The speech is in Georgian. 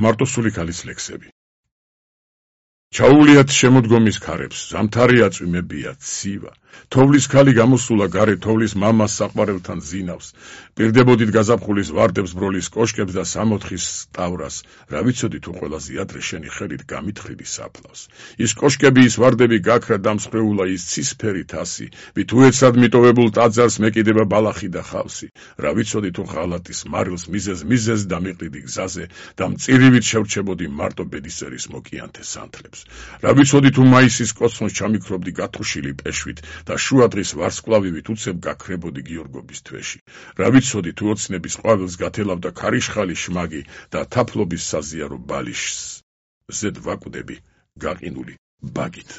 მარტოსული ქალის ლექსები. ჩაუვლიათ შემოდგომის ქარებს, ზამთარი აწვიმებია, ცივა. თოვლის ქალი გამოსულა გარე თოვლის მამას საყვარელთან ზინავს. პირდებოდით გაზაფხულის ვარდებს ბროლის კოშკებს და სამოთხის ტავრას. რა ვიცოდი თუ ყველაზე ადრე შენი ხელით გამითხრიდი საფლავს. ის კოშკები, ის ვარდები გაქრა დამსხვრეულა ის ცისფერი თასი. ვით უეცად მიტოვებულ ტაძარს მეკიდება ბალახი და ხავსი. რა ვიცოდი თუ ღალატის მარილს მიზეზ დამიყრიდი გზაზე და მწირივით შევრჩებოდი მარტო ბედისერის მოკიანთე სანთლებს. რა ვიცოდი თუ მაისის კოცონს ჩამიქრობდი გათუშილი პეშვით და შუადღის ვარსკვლავივით უცებ გაქრებოდი გიორგობის თვეში. რა ვიცოდი თუ ოცნების ყვავილს გათელავდა ქარიშხალი შმაგი და თაფლობის საზიარო ბალიშს. ზედ ვაკვდები გაყინული ბაგით.